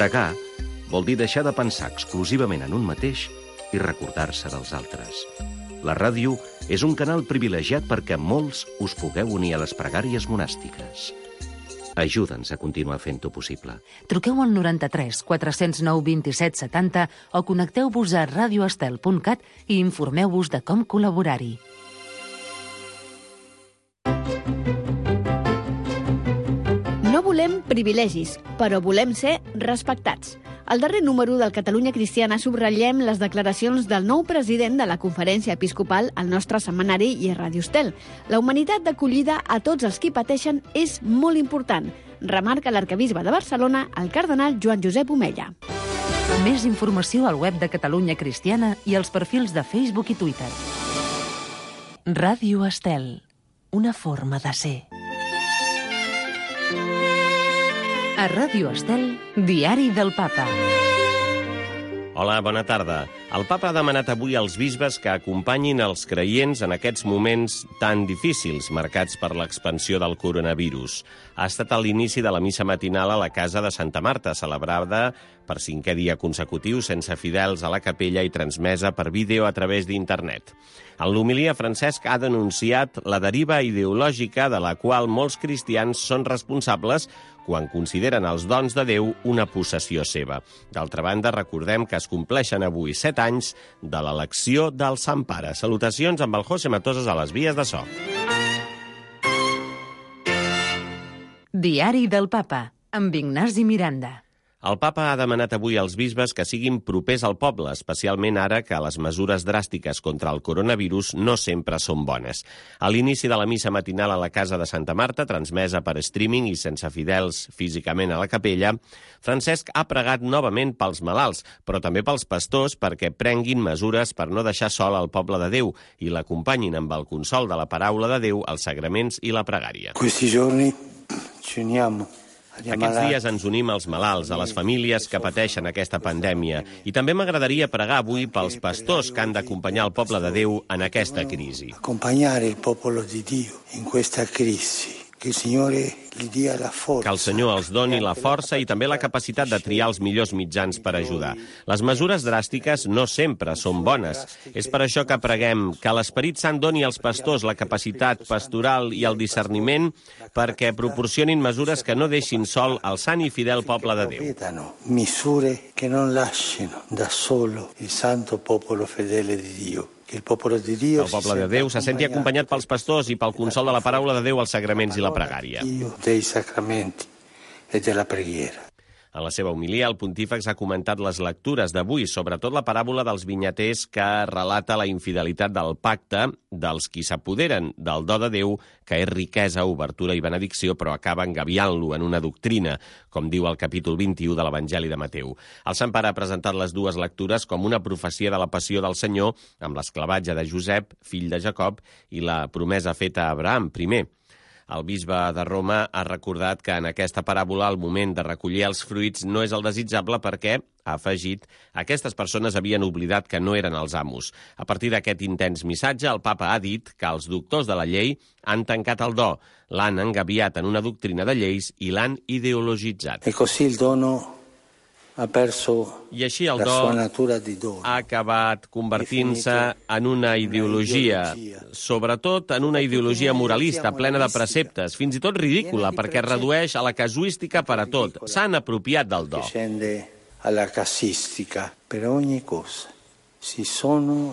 Pregar vol dir deixar de pensar exclusivament en un mateix i recordar-se dels altres. La ràdio és un canal privilegiat perquè molts us pugueu unir a les pregàries monàstiques. Ajuda'ns a continuar fent-ho possible. Truqueu al 93 409 27 70 o connecteu-vos a radioestel.cat i informeu-vos de com col·laborar-hi. No volem privilegis, però volem ser respectats. Al darrer número del Catalunya Cristiana subratllem les declaracions del nou president de la Conferència Episcopal al nostre setmanari i a Ràdio Estel. La humanitat d'acollida a tots els qui pateixen és molt important, remarca l'arquebisbe de Barcelona, el cardenal Joan Josep Omella. Més informació al web de Catalunya Cristiana i als perfils de Facebook i Twitter. Ràdio Estel, una forma de ser. A Ràdio Estel, Diari del Papa. Hola, bona tarda. El papa ha demanat avui als bisbes que acompanyin els creients en aquests moments tan difícils, marcats per l'expansió del coronavirus. Ha estat a l'inici de la missa matinal a la casa de Santa Marta, celebrada per 5è dia consecutiu sense fidels a la capella i transmesa per vídeo a través d'internet. En l'homilia, Francesc ha denunciat la deriva ideològica de la qual molts cristians són responsables quan consideren els dons de Déu una possessió seva. D'altra banda, recordem que es compleixen avui 7 anys de l'elecció del Sant Pare. Salutacions amb el José Matoses a les vies de so. Diari del Papa, amb Ignasi Miranda. El papa ha demanat avui als bisbes que siguin propers al poble, especialment ara que les mesures dràstiques contra el coronavirus no sempre són bones. A l'inici de la missa matinal a la casa de Santa Marta, transmesa per streaming i sense fidels físicament a la capella, Francesc ha pregat novament pels malalts, però també pels pastors perquè prenguin mesures per no deixar sol al poble de Déu i l'acompanyin amb el consol de la paraula de Déu, els sagraments i la pregària. Questi giorni ci uniamo. Aquests dies ens unim als malalts, a les famílies que pateixen aquesta pandèmia. I també m'agradaria pregar avui pels pastors que han d'acompanyar el poble de Déu en aquesta crisi. Accompagnare il popolo di Dio in questa crisi. Que el Senyor els doni la força i també la capacitat de triar els millors mitjans per ajudar. Les mesures dràstiques no sempre són bones. És per això que preguem que l'Esperit Sant doni als pastors la capacitat pastoral i el discerniment perquè proporcionin mesures que no deixin sol el sant i fidel poble de Déu. Misure que non lasciano da solo il santo popolo fedele di Dio. El poble de Déu se senti acompanyat pels pastors i pel consol de la paraula de Déu, els sagraments i la pregària. Dei sacramenti e della preghiera. En la seva homilia, el pontífex ha comentat les lectures d'avui, sobretot la paràbola dels vinyaters que relata la infidelitat del pacte dels qui s'apoderen del do de Déu, que és riquesa, obertura i benedicció, però acaba engaviant-lo en una doctrina, com diu el capítol 21 de l'Evangeli de Mateu. El Sant Pare ha presentat les dues lectures com una profecia de la passió del Senyor, amb l'esclavatge de Josep, fill de Jacob, i la promesa feta a Abraham, primer. El bisbe de Roma ha recordat que en aquesta paràbola el moment de recollir els fruits no és el desitjable perquè, ha afegit, aquestes persones havien oblidat que no eren els amos. A partir d'aquest intens missatge, el papa ha dit que els doctors de la llei han tancat el do, l'han engaviat en una doctrina de lleis i l'han ideologitzat. E così il dono ha perso I així el la do sua natura di dono. ha acabat convertint-se en una ideologia, sobretot en una ideologia moralista, plena de preceptes, fins i tot ridícula, perquè redueix a la casuística per a tot. S'han apropiat del do. Scende alla casistica per ogni cosa. Si sono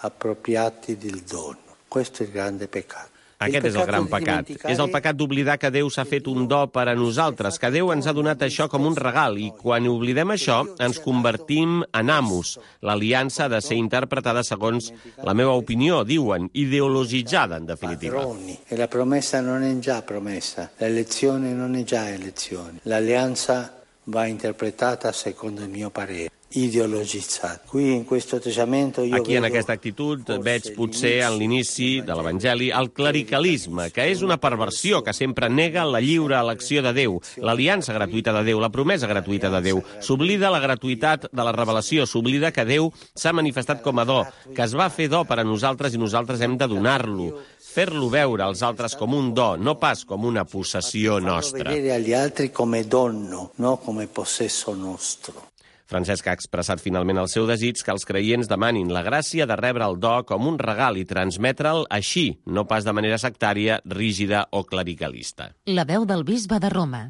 appropriati del dono. Questo è il grande peccato. Aquest és el gran pecat. És el pecat d'oblidar que Déu s'ha fet un do per a nosaltres, que Déu ens ha donat això com un regal, i quan oblidem això, ens convertim en amos. L'aliança ha de ser interpretada segons la meva opinió, diuen, ideologitzada, en definitiva. E la promessa non è già promessa, l'elezione non è già elezione. L'alleanza va interpretata secondo il mio parere. Ideologitzat. Aquí, en aquesta actitud, veig potser en l'inici de l'Evangeli el clericalisme, que és una perversió que sempre nega la lliure elecció de Déu, l'aliança gratuïta de Déu, la promesa gratuïta de Déu. S'oblida la gratuïtat de la revelació, s'oblida que Déu s'ha manifestat com a do, que es va fer do per a nosaltres i nosaltres hem de donar-lo. fer-lo veure als altres com un do, no pas com una possessió nostra. Vedere agli altri come dono, no come possesso nostro. Francesc ha expressat finalment el seu desig que els creients demanin la gràcia de rebre el do com un regal i transmetre'l així, no pas de manera sectària, rígida o clericalista. La veu del bisbe de Roma.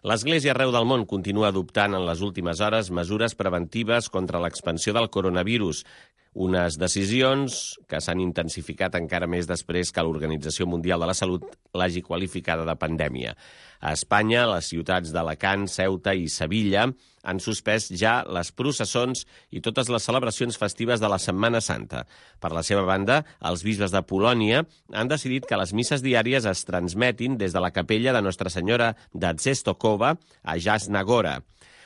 L'Església arreu del món continua adoptant en les últimes hores mesures preventives contra l'expansió del coronavirus, unes decisions que s'han intensificat encara més després que l'Organització Mundial de la Salut l'hagi qualificada de pandèmia. A Espanya, les ciutats d'Alacant, Ceuta i Sevilla han suspès ja les processons i totes les celebracions festives de la Setmana Santa. Per la seva banda, els bisbes de Polònia han decidit que les misses diàries es transmetin des de la capella de Nostra Senyora de Częstochowa a Jasna Góra.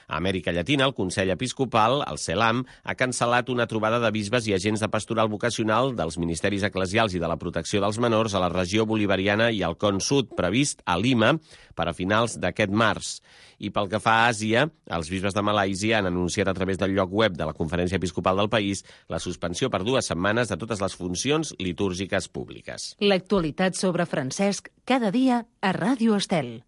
A Amèrica Llatina, el Consell Episcopal, el CELAM, ha cancel·lat una trobada de bisbes i agents de pastoral vocacional dels ministeris eclesials i de la protecció dels menors a la regió bolivariana i al Con Sud, previst a Lima per a finals d'aquest març. I pel que fa a Àsia, els bisbes de Malàisia han anunciat a través del lloc web de la Conferència Episcopal del país la suspensió per 2 setmanes de totes les funcions litúrgiques públiques. L'actualitat sobre Francesc cada dia a Ràdio Estel.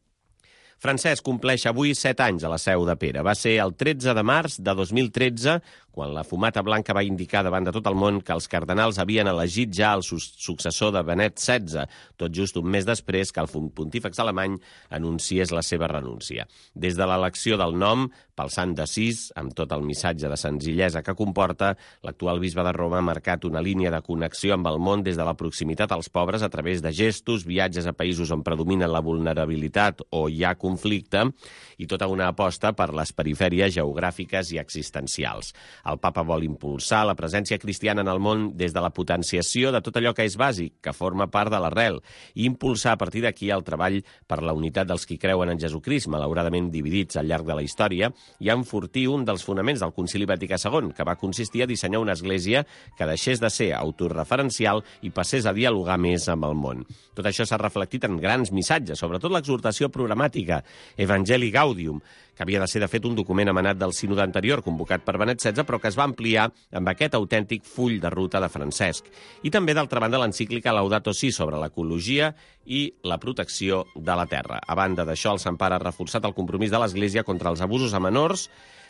Francesc compleix avui 7 anys a la Seu de Pere. Va ser el 13 de març de 2013 quan la fumata blanca va indicar davant de tot el món que els cardenals havien elegit ja el successor de Benet XVI, tot just un mes després que el pontífex alemany anunciés la seva renúncia. Des de l'elecció del nom, pel Sant d'Assís, amb tot el missatge de senzillesa que comporta, l'actual bisbe de Roma ha marcat una línia de connexió amb el món des de la proximitat als pobres a través de gestos, viatges a països on predomina la vulnerabilitat o hi ha conflicte i tota una aposta per les perifèries geogràfiques i existencials. El papa vol impulsar la presència cristiana en el món des de la potenciació de tot allò que és bàsic, que forma part de l'arrel, i impulsar a partir d'aquí el treball per la unitat dels qui creuen en Jesucrist, malauradament dividits al llarg de la història, i enfortir un dels fonaments del Concili Vaticà II, que va consistir a dissenyar una església que deixés de ser autorreferencial i passés a dialogar més amb el món. Tot això s'ha reflectit en grans missatges, sobretot l'exhortació programàtica Evangelii Gaudium, que havia de ser, de fet, un document emanat del sínode anterior, convocat per Benet XVI, però que es va ampliar amb aquest autèntic full de ruta de Francesc. I també, d'altra banda, l'encíclica Laudato Si sobre l'ecologia i la protecció de la terra. A banda d'això, el Sant Pare ha reforçat el compromís de l'Església contra els abusos a menors,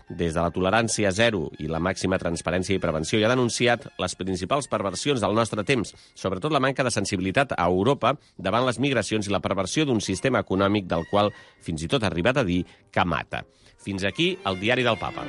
des de la tolerància zero i la màxima transparència i prevenció, i ha denunciat les principals perversions del nostre temps, sobretot la manca de sensibilitat a Europa davant les migracions i la perversió d'un sistema econòmic del qual fins i tot ha arribat a dir que mata. Fins aquí el diari del Papa.